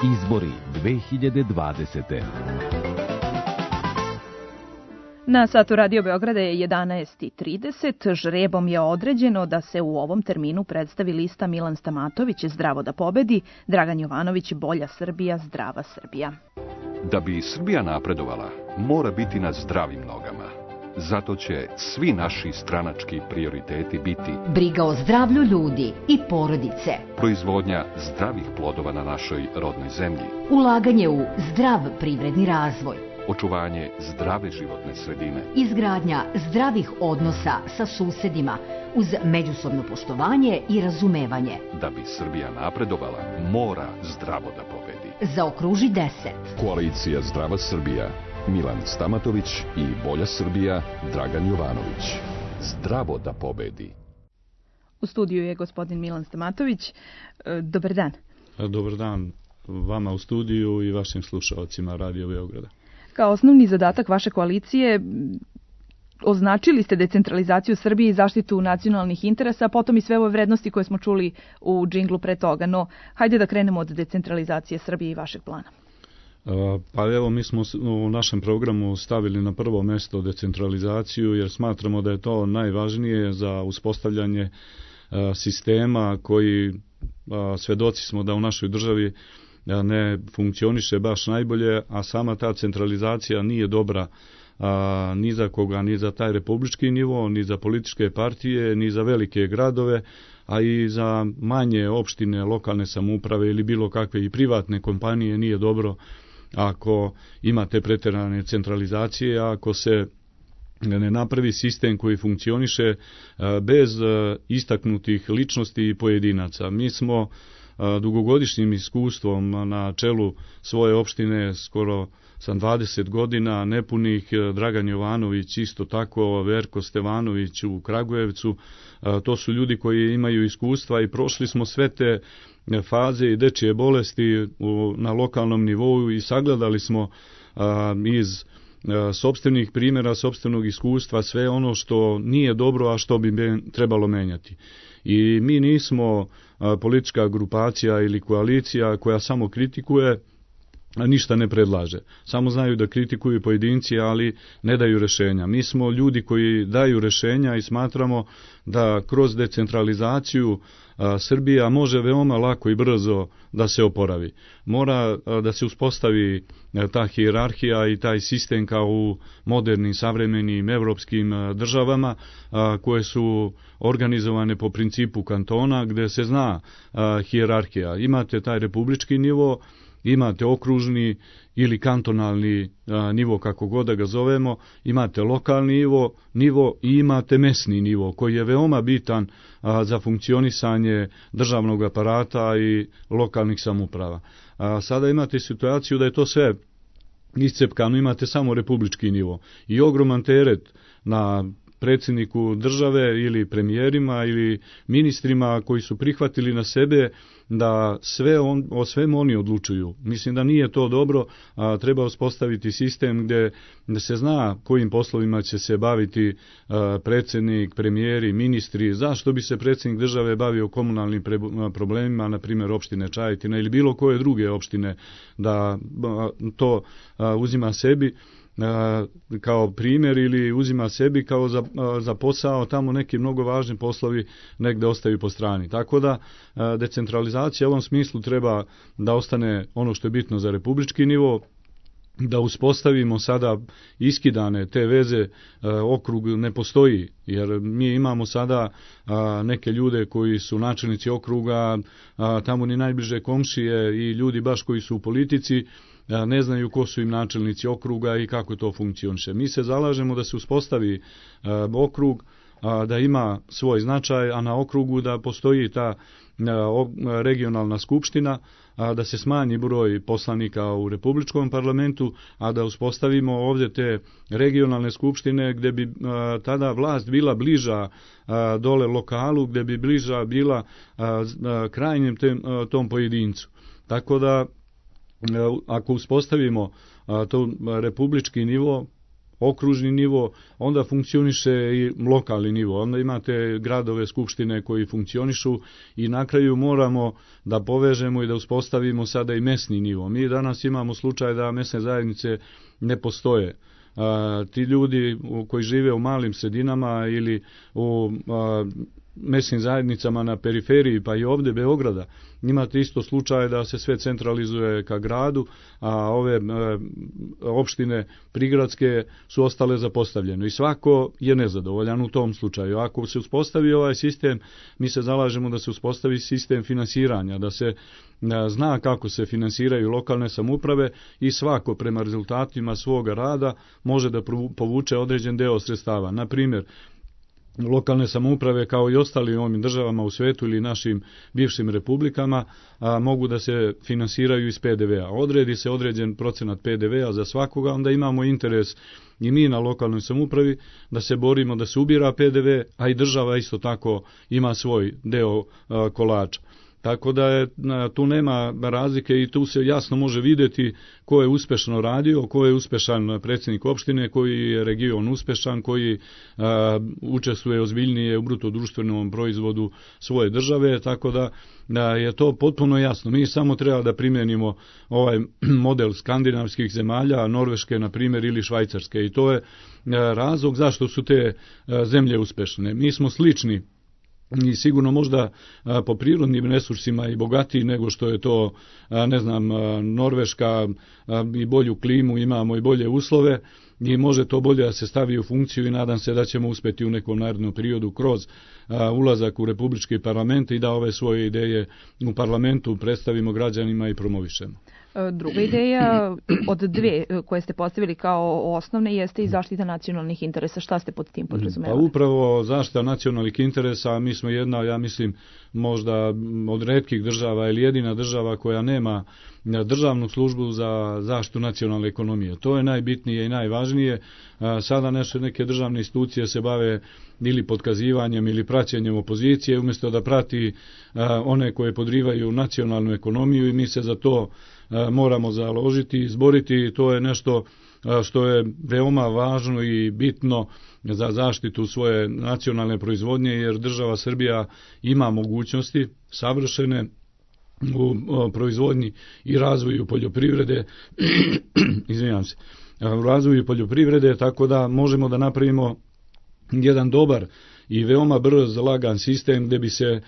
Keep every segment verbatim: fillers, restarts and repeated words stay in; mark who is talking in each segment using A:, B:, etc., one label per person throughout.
A: Izbori dve hiljade dvadesete.
B: Na satu Radio Beograda je jedanaest i trideset. Žrebom je određeno da se u ovom terminu predstavi lista Milan Stamatović, Zdravo da pobedi, Dragan Jovanović, Bolja Srbija, Zdrava Srbija.
C: Da bi Srbija napredovala, mora biti na zdravim nogama. Zato će svi naši stranački prioriteti biti
D: briga o zdravlju ljudi i porodice,
C: proizvodnja zdravih plodova na našoj rodnoj zemlji,
D: ulaganje u zdrav privredni razvoj,
C: očuvanje zdrave životne sredine,
D: izgradnja zdravih odnosa sa susedima uz međusobno poštovanje i razumevanje.
C: Da bi Srbija napredovala, mora zdravo da pobedi.
D: Zaokruži deset.
E: Koalicija Zdrava Srbija, Milan Stamatović i Bolja Srbija, Dragan Jovanović. Zdravo da pobedi.
B: U studiju je gospodin Milan Stamatović. Dobar dan.
F: Dobar dan vama u studiju i vašim slušalcima Radio Beograda.
B: Kao osnovni zadatak vaše koalicije označili ste decentralizaciju Srbije i zaštitu nacionalnih interesa, a potom i sve ove vrednosti koje smo čuli u džinglu pre toga. No, hajde da krenemo od decentralizacije Srbije i vašeg plana.
F: Pa evo, mi smo u našem programu stavili na prvo mesto decentralizaciju jer smatramo da je to najvažnije za uspostavljanje sistema koji, svedoci smo da u našoj državi ne funkcioniše baš najbolje, a sama ta centralizacija nije dobra a, ni za koga, ni za taj republički nivo, ni za političke partije, ni za velike gradove, a i za manje opštine, lokalne samouprave ili bilo kakve i privatne kompanije nije dobro ako imate preterane centralizacije, ako se ne napravi sistem koji funkcioniše bez istaknutih ličnosti i pojedinaca. Mi smo dugogodišnjim iskustvom na čelu svoje opštine, skoro sam dvadeset godina nepunih, Dragan Jovanović isto tako, Verko Stevanović u Kragujevcu, to su ljudi koji imaju iskustva i prošli smo sve te faze i dečije bolesti na lokalnom nivou i sagledali smo iz sopstvenih primjera, sopstvenog iskustva sve ono što nije dobro, a što bi trebalo menjati. I mi nismo politička grupacija ili koalicija koja samo kritikuje, a ništa ne predlaže. Samo znaju da kritikuju pojedinci, ali ne daju rešenja. Mi smo ljudi koji daju rešenja i smatramo da kroz decentralizaciju Srbija može veoma lako i brzo da se oporavi. Mora da se uspostavi ta hijerarhija i taj sistem kao u modernim, savremenim evropskim državama koje su organizovane po principu kantona gde se zna hijerarhija. Imate taj republički nivo, imate okružni ili kantonalni a, nivo, kako god da ga zovemo, imate lokalni nivo, nivo i imate mesni nivo, koji je veoma bitan a, za funkcionisanje državnog aparata i lokalnih samouprava. A, sada imate situaciju da je to sve iscepkano, imate samo republički nivo i ogroman teret na predsjedniku države ili premijerima ili ministrima koji su prihvatili na sebe da sve on, o svemu oni odlučuju. Mislim da nije to dobro, a treba uspostaviti sistem gdje se zna kojim poslovima će se baviti a, predsjednik, premijeri, ministri, zašto bi se predsjednik države bavio komunalnim pre, problemima, na primjer opštine Čajetina ili bilo koje druge opštine, da a, to a, uzima sebi kao primjer ili uzima sebi kao za, za posao, tamo neki mnogo važni poslovi negde ostaju po strani. Tako da decentralizacija u ovom smislu treba da ostane ono što je bitno za republički nivo, da uspostavimo sada iskidane te veze, okrug ne postoji, jer mi imamo sada neke ljude koji su načelnici okruga, tamo ni najbliže komšije i ljudi baš koji su u politici, ne znaju ko su im načelnici okruga i kako to funkcioniše. Mi se zalažemo da se uspostavi okrug, da ima svoj značaj, a na okrugu da postoji ta regionalna skupština, da se smanji broj poslanika u republičkom parlamentu, a da uspostavimo ovdje te regionalne skupštine gdje bi tada vlast bila bliža dole lokalu, gdje bi bliža bila krajnjem tom pojedincu. Tako da ako uspostavimo to republički nivo, okružni nivo, onda funkcioniše i lokalni nivo. Onda imate gradove, skupštine koji funkcionišu i na kraju moramo da povežemo i da uspostavimo sada i mesni nivo. Mi danas imamo slučaj da mesne zajednice ne postoje. A, ti ljudi koji žive u malim sredinama ili u a, mesnim zajednicama na periferiji, pa i ovdje Beograda, imate isto slučaj da se sve centralizuje ka gradu, a ove e, opštine prigradske su ostale zapostavljene. I svako je nezadovoljan u tom slučaju. Ako se uspostavi ovaj sistem, mi se zalažemo da se uspostavi sistem finansiranja, da se e, zna kako se finansiraju lokalne samouprave i svako prema rezultatima svoga rada može da povuče određen deo sredstava. Na primjer, lokalne samouprave kao i ostali ovim državama u svetu ili našim bivšim republikama a, mogu da se finansiraju iz P D V a. Odredi se određen procenat P D V a za svakoga, onda imamo interes i mi na lokalnoj samoupravi da se borimo da se ubira P D V, a i država isto tako ima svoj deo a, kolača. Tako da je, tu nema razlike i tu se jasno može vidjeti ko je uspešno radio, ko je uspešan predsjednik opštine, koji je region uspešan, koji a, učestvuje ozbiljnije u bruto društvenom proizvodu svoje države, tako da, da je to potpuno jasno. Mi samo treba da primjenimo ovaj model skandinavskih zemalja, Norveške na primjer ili Švajcarske, i to je a, razlog zašto su te a, zemlje uspešne. Mi smo slični i sigurno možda a, po prirodnim resursima i bogatiji nego što je to, a, ne znam, a, Norveška, a, i bolju klimu, imamo i bolje uslove i može to bolje da se stavi u funkciju i nadam se da ćemo uspjeti u nekom narednom periodu kroz a, ulazak u Republički parlament i da ove svoje ideje u parlamentu predstavimo građanima i promovišemo.
B: Druga ideja od dve koje ste postavili kao osnovne jeste i zaštita nacionalnih interesa. Šta ste pod tim podrazumevali?
F: Pa upravo zaštita nacionalnih interesa. Mi smo jedna, ja mislim, možda od retkih država ili jedina država koja nema državnu službu za zaštitu nacionalne ekonomije. To je najbitnije i najvažnije. Sada naše neke državne institucije se bave ili potkazivanjem ili praćenjem opozicije umjesto da prati one koje podrivaju nacionalnu ekonomiju i mi se za to moramo založiti i izboriti. To je nešto što je veoma važno i bitno za zaštitu svoje nacionalne proizvodnje, jer država Srbija ima mogućnosti savršene u proizvodnji i razvoju poljoprivrede, izvinjam se, u razvoju poljoprivrede, tako da možemo da napravimo jedan dobar i veoma brz, lagan sistem gdje bi se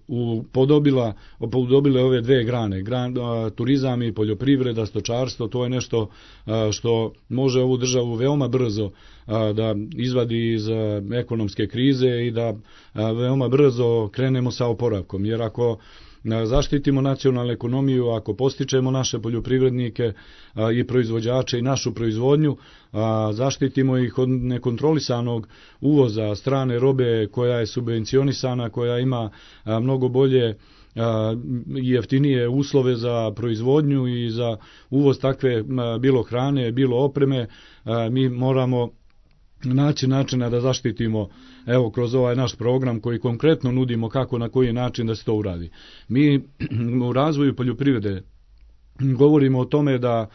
F: upodobila, upodobile ove dve grane, gran, turizam i poljoprivreda, stočarstvo. To je nešto što može ovu državu veoma brzo da izvadi iz ekonomske krize i da veoma brzo krenemo sa oporavkom, jer ako zaštitimo nacionalnu ekonomiju, ako postičemo naše poljoprivrednike i proizvođače i našu proizvodnju, zaštitimo ih od nekontrolisanog uvoza strane robe koja je subvencionisana, koja ima mnogo bolje i jeftinije uslove za proizvodnju i za uvoz takve bilo hrane, bilo opreme, mi moramo naći načina da zaštitimo, evo, kroz ovaj naš program koji konkretno nudimo kako, na koji način da se to uradi. Mi u razvoju poljoprivrede govorimo o tome da,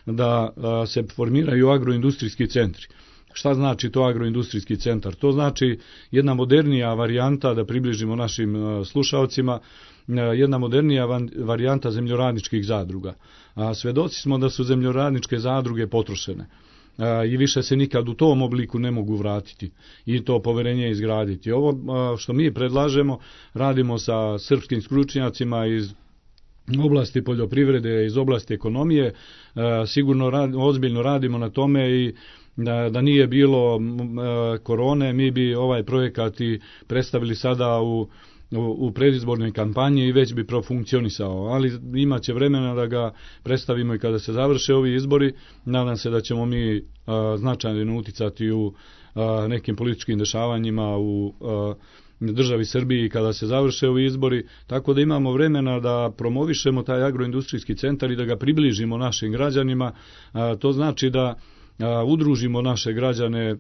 F: da se formiraju agroindustrijski centri. Šta znači to agroindustrijski centar? To znači jedna modernija varijanta, da približimo našim slušalcima, jedna modernija varijanta zemljoradničkih zadruga. A svedoci smo da su zemljoradničke zadruge potrošene i više se nikad u tom obliku ne mogu vratiti i to poverenje izgraditi. Ovo što mi predlažemo, radimo sa srpskim stručnjacima iz oblasti poljoprivrede, iz oblasti ekonomije, sigurno rad, ozbiljno radimo na tome i da, da nije bilo korone, mi bi ovaj projekat i predstavili sada u u predizbornoj kampanji i već bi profunkcionisao, ali imat će vremena da ga predstavimo i kada se završe ovi izbori. Nadam se da ćemo mi a, značajno uticati u a, nekim političkim dešavanjima u a, državi Srbiji kada se završe ovi izbori, tako da imamo vremena da promovišemo taj agroindustrijski centar i da ga približimo našim građanima. A, to znači da a, udružimo naše građane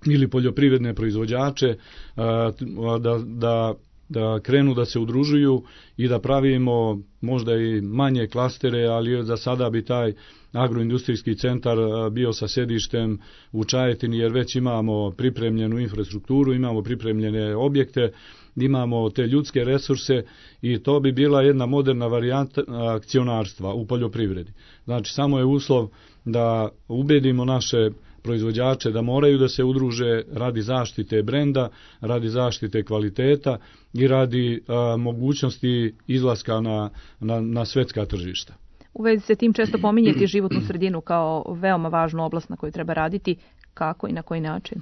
F: ili poljoprivredne proizvođače, a, da, da da krenu da se udružuju i da pravimo možda i manje klastere, ali za sada bi taj agroindustrijski centar bio sa sedištem u Čajetini, jer već imamo pripremljenu infrastrukturu, imamo pripremljene objekte, imamo te ljudske resurse i to bi bila jedna moderna varijanta akcionarstva u poljoprivredi. Znači, samo je uslov da ubedimo naše proizvođače da moraju da se udruže radi zaštite brenda, radi zaštite kvaliteta i radi a, mogućnosti izlaska na, na, na svetska tržišta.
B: U vezi se tim često pominjeti životnu sredinu kao veoma važnu oblast na kojoj treba raditi. Kako i na koji način?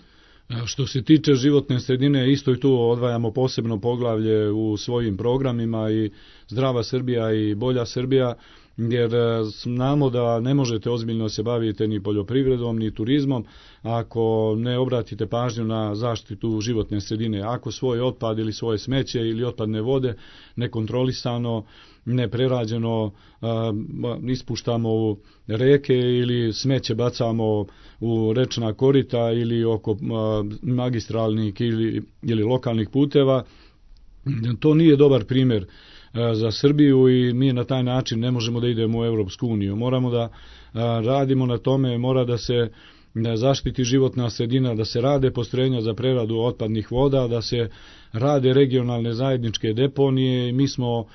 F: Što se tiče životne sredine, isto i tu odvajamo posebno poglavlje u svojim programima i Zdrava Srbija i Bolja Srbija, jer znamo da ne možete ozbiljno se baviti ni poljoprivredom ni turizmom ako ne obratite pažnju na zaštitu životne sredine. Ako svoj otpad ili svoje smeće ili otpadne vode nekontrolisano, neprerađeno ispuštamo u reke ili smeće bacamo u rečna korita ili oko magistralnih ili, ili lokalnih puteva, to nije dobar primjer za Srbiju i mi na taj način ne možemo da idemo u Europsku uniju. Moramo da radimo na tome, mora da se zaštiti životna sredina, da se rade postrojenja za preradu otpadnih voda, da se rade regionalne zajedničke deponije i mi smo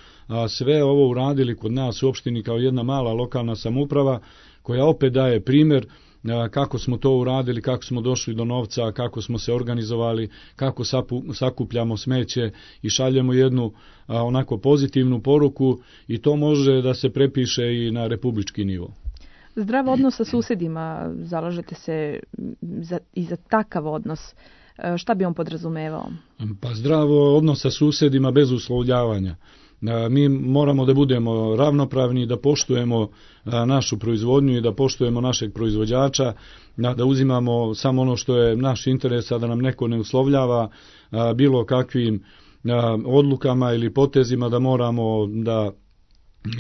F: sve ovo uradili kod nas u opštini kao jedna mala lokalna samouprava koja opet daje primjer kako smo to uradili, kako smo došli do novca, kako smo se organizovali, kako sakupljamo smeće i šaljemo jednu onako pozitivnu poruku i to može da se prepiše i na republički nivo.
B: Zdrav odnos sa susedima, zalažete se za, i za takav odnos. Šta bi on podrazumevao?
F: Pa zdravo odnos sa susedima bez uslovljavanja. Mi moramo da budemo ravnopravni, da poštujemo našu proizvodnju i da poštujemo našeg proizvođača, da uzimamo samo ono što je naš interes, a da nam neko ne uslovljava bilo kakvim odlukama ili potezima, da moramo da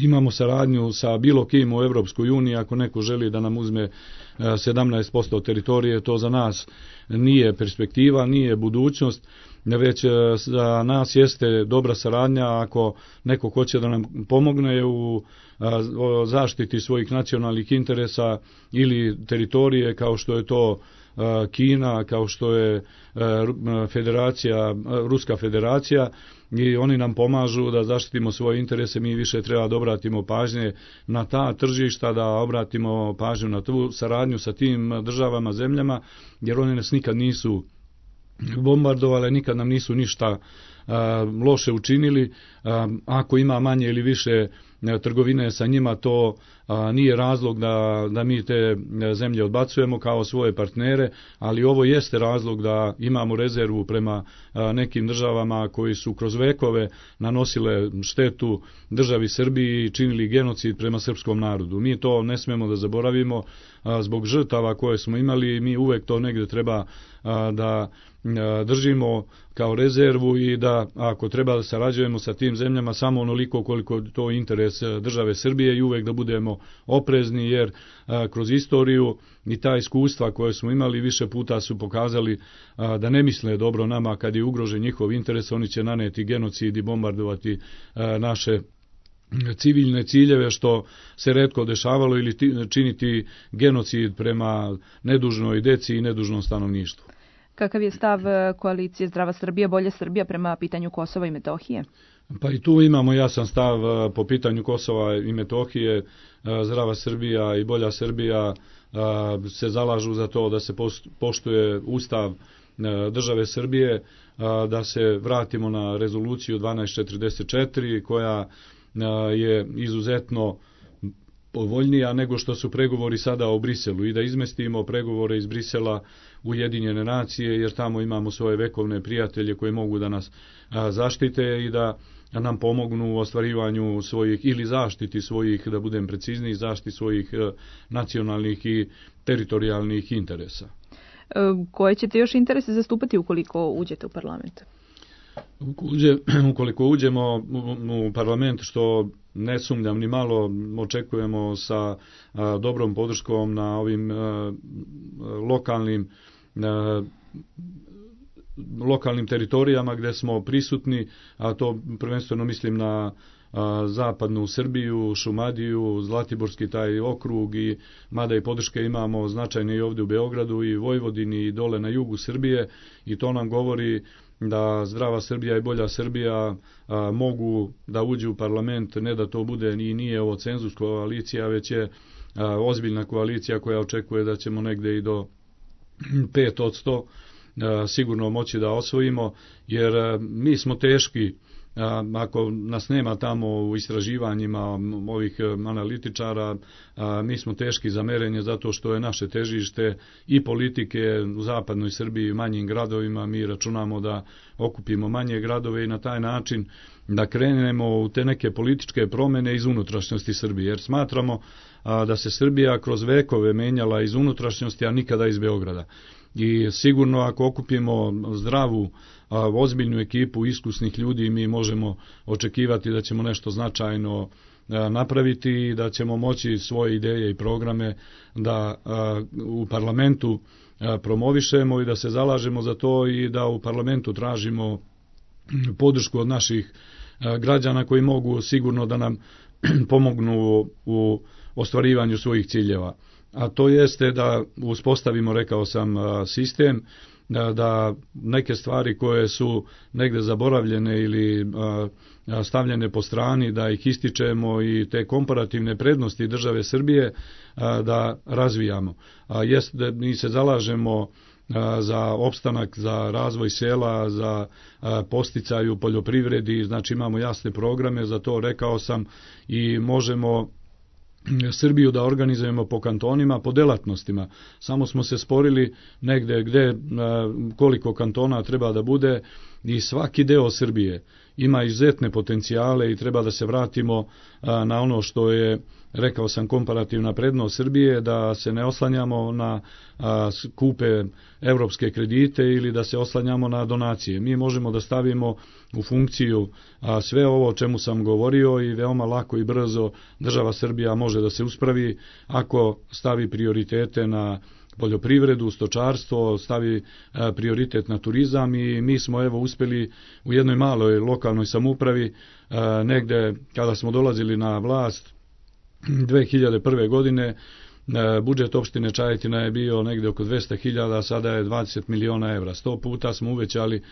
F: imamo saradnju sa bilo kim u Europskoj uniji. Ako neko želi da nam uzme sedamnaest posto teritorije, to za nas nije perspektiva, nije budućnost, već za nas jeste dobra saradnja ako neko hoće da nam pomogne u zaštiti svojih nacionalnih interesa ili teritorije kao što je to Kina, kao što je federacija, Ruska federacija, i oni nam pomažu da zaštitimo svoje interese. Mi više treba da obratimo pažnje na ta tržišta, da obratimo pažnju na tu saradnju sa tim državama, zemljama, jer oni nas nikad nisu bombardovali, nikad nam nisu ništa a, loše učinili. A, ako ima manje ili više trgovine sa njima, to a, nije razlog da, da mi te zemlje odbacujemo kao svoje partnere, ali ovo jeste razlog da imamo rezervu prema a, nekim državama koji su kroz vekove nanosile štetu državi Srbiji i činili genocid prema srpskom narodu. Mi to ne smemo da zaboravimo a, zbog žrtava koje smo imali. Mi uvek to negde treba a, da držimo kao rezervu i da ako treba da sarađujemo sa tim zemljama samo onoliko koliko to interes države Srbije i uvek da budemo oprezni, jer a, kroz istoriju i ta iskustva koje smo imali više puta su pokazali a, da ne misle dobro nama kad je ugrožen njihov interes. Oni će naneti genocid i bombardovati a, naše civilne ciljeve, što se retko dešavalo, ili činiti genocid prema nedužnoj deci i nedužnom stanovništvu.
B: Kakav je stav koalicije Zdrava Srbija, Bolja Srbija prema pitanju Kosova i Metohije?
F: Pa i tu imamo jasan stav po pitanju Kosova i Metohije. Zdrava Srbija i Bolja Srbija se zalažu za to da se poštuje Ustav države Srbije, da se vratimo na rezoluciju dvanaest četrdeset četiri koja je izuzetno povoljnija nego što su pregovori sada o Briselu i da izmestimo pregovore iz Brisela u Ujedinjene nacije, jer tamo imamo svoje vekovne prijatelje koji mogu da nas zaštite i da nam pomognu u ostvarivanju svojih ili zaštiti svojih, da budem precizniji, zaštiti svojih nacionalnih i teritorijalnih interesa.
B: Koje ćete još interese zastupati ukoliko uđete u parlament?
F: Ukoliko uđemo u parlament, što ne sumnjam ni malo, očekujemo sa a, dobrom podrškom na ovim a, lokalnim a, lokalnim teritorijama gdje smo prisutni, a to prvenstveno mislim na a, zapadnu Srbiju, Šumadiju, Zlatiborski taj okrug, i mada i podrške imamo značajne i ovdje u Beogradu i Vojvodini i dole na jugu Srbije, i to nam govori da zdrava Srbija i bolja Srbija a, mogu da uđu u parlament, ne da to bude ni nije ovo cenzus koalicija, već je a, ozbiljna koalicija koja očekuje da ćemo negde i do pet posto sigurno moći da osvojimo, jer mi smo teški. Ako nas nema tamo u istraživanjima ovih analitičara, mi smo teški za merenje, zato što je naše težište i politike u zapadnoj Srbiji, manjim gradovima. Mi računamo da okupimo manje gradove i na taj način da krenemo u te neke političke promjene iz unutrašnjosti Srbije, jer smatramo da se Srbija kroz vekove menjala iz unutrašnjosti, a nikada iz Beograda. I sigurno ako okupimo zdravu, ozbiljnu ekipu iskusnih ljudi, mi možemo očekivati da ćemo nešto značajno napraviti i da ćemo moći svoje ideje i programe da u parlamentu promovišemo i da se zalažemo za to, i da u parlamentu tražimo podršku od naših građana koji mogu sigurno da nam pomognu u ostvarivanju svojih ciljeva. A to jeste da uspostavimo, rekao sam, sistem, da, da neke stvari koje su negde zaboravljene ili a, stavljene po strani, da ih ističemo, i te komparativne prednosti države Srbije a, da razvijamo. A jest da mi se zalažemo a, za opstanak, za razvoj sela, za a, posticaj u poljoprivredi, znači imamo jasne programe za to, rekao sam, i možemo Srbiju da organizujemo po kantonima, po delatnostima. Samo smo se sporili negde gde koliko kantona treba da bude, i svaki deo Srbije ima izuzetne potencijale i treba da se vratimo na ono što je, rekao sam, komparativna prednost Srbije, da se ne oslanjamo na skupe evropske kredite ili da se oslanjamo na donacije. Mi možemo da stavimo u funkciju sve ovo o čemu sam govorio, i veoma lako i brzo država Srbija može da se uspravi ako stavi prioritete na poljoprivredu, stočarstvo, stavi prioritet na turizam. I mi smo evo uspjeli u jednoj maloj lokalnoj samoupravi, negde kada smo dolazili na vlast dve hiljade prve. godine, budžet opštine Čajetina je bio negde oko dvesta hiljada, sada je dvadeset miliona evra. Sto puta smo uvećali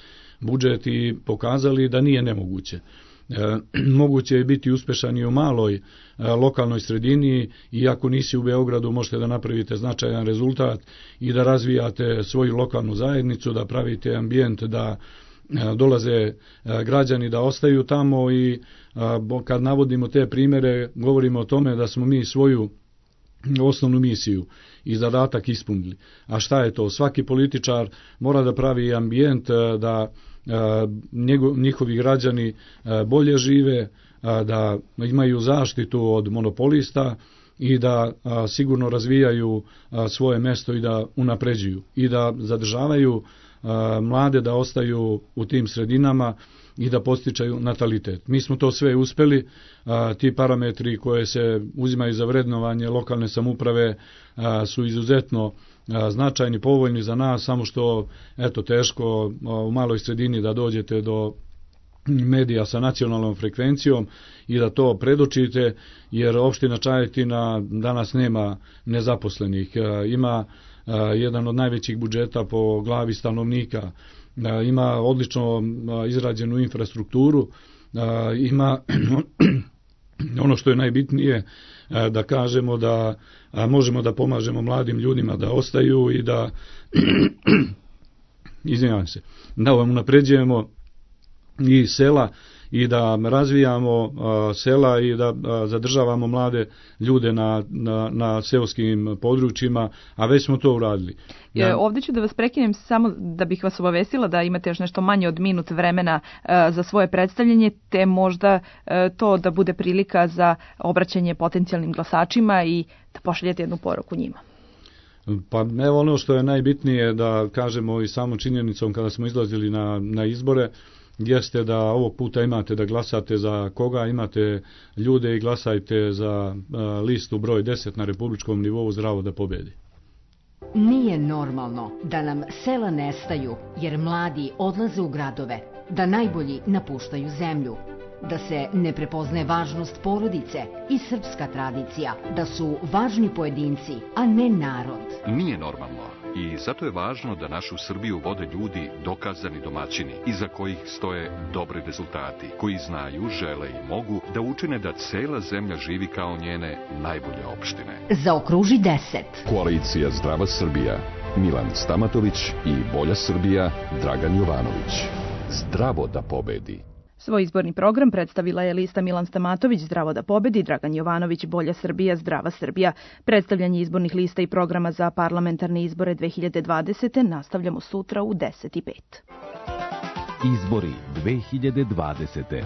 F: budžet i pokazali da nije nemoguće. E, moguće je biti uspešan i u maloj e, lokalnoj sredini, i ako nisi u Beogradu možete da napravite značajan rezultat i da razvijate svoju lokalnu zajednicu, da pravite ambijent da e, dolaze e, građani da ostaju tamo. I e, kad navodimo te primere, govorimo o tome da smo mi svoju osnovnu misiju i zadatak ispunili. A šta je to? Svaki političar mora da pravi ambijent da njihovi građani bolje žive, da imaju zaštitu od monopolista i da sigurno razvijaju svoje mesto i da unapređuju i da zadržavaju mlade da ostaju u tim sredinama i da postičaju natalitet. Mi smo to sve uspeli, ti parametri koje se uzimaju za vrednovanje lokalne samouprave su izuzetno značajni, povoljni za nas, samo što eto teško u maloj sredini da dođete do medija sa nacionalnom frekvencijom i da to predočite, jer opština Čajetina danas nema nezaposlenih, ima jedan od najvećih budžeta po glavi stanovnika, ima odlično izrađenu infrastrukturu, ima ono što je najbitnije, da kažemo da možemo da pomažemo mladim ljudima da ostaju i da izvinjavam se, da unapređujemo i sela i da razvijamo sela i da zadržavamo mlade ljude na, na, na seoskim područjima, a već smo to uradili.
B: Ja. Ovdje ću da vas prekinem samo da bih vas obavestila da imate još nešto manje od minut vremena za svoje predstavljanje, te možda to da bude prilika za obraćanje potencijalnim glasačima i da pošaljete jednu poruku njima.
F: Pa evo ono što je najbitnije da kažemo i samom činjenicom kada smo izlazili na, na izbore, jeste da ovog puta imate da glasate za koga, imate ljude i glasajte za listu broj deset na republičkom nivou Zdravo da pobedi.
D: Nije normalno da nam sela nestaju jer mladi odlaze u gradove, da najbolji napuštaju zemlju, da se ne prepoznaje važnost porodice i srpska tradicija, da su važni pojedinci, a ne narod.
C: Nije normalno i zato je važno da našu Srbiju vode ljudi dokazani domaćini, iza kojih stoje dobri rezultati, koji znaju, žele i mogu da učine da cela zemlja živi kao njene najbolje opštine.
D: Zaokruži deset.
E: Koalicija Zdrava Srbija, Milan Stamatović i Bolja Srbija, Dragan Jovanović. Zdravo da pobedi.
B: Svoj izborni program predstavila je lista Milan Stamatović, Zdravo da pobedi, Dragan Jovanović, Bolja Srbija, Zdrava Srbija. Predstavljanje izbornih lista i programa za parlamentarne izbore dve hiljade dvadesete. nastavljamo sutra u deset i pet.
A: Izbori dve hiljade dvadesete.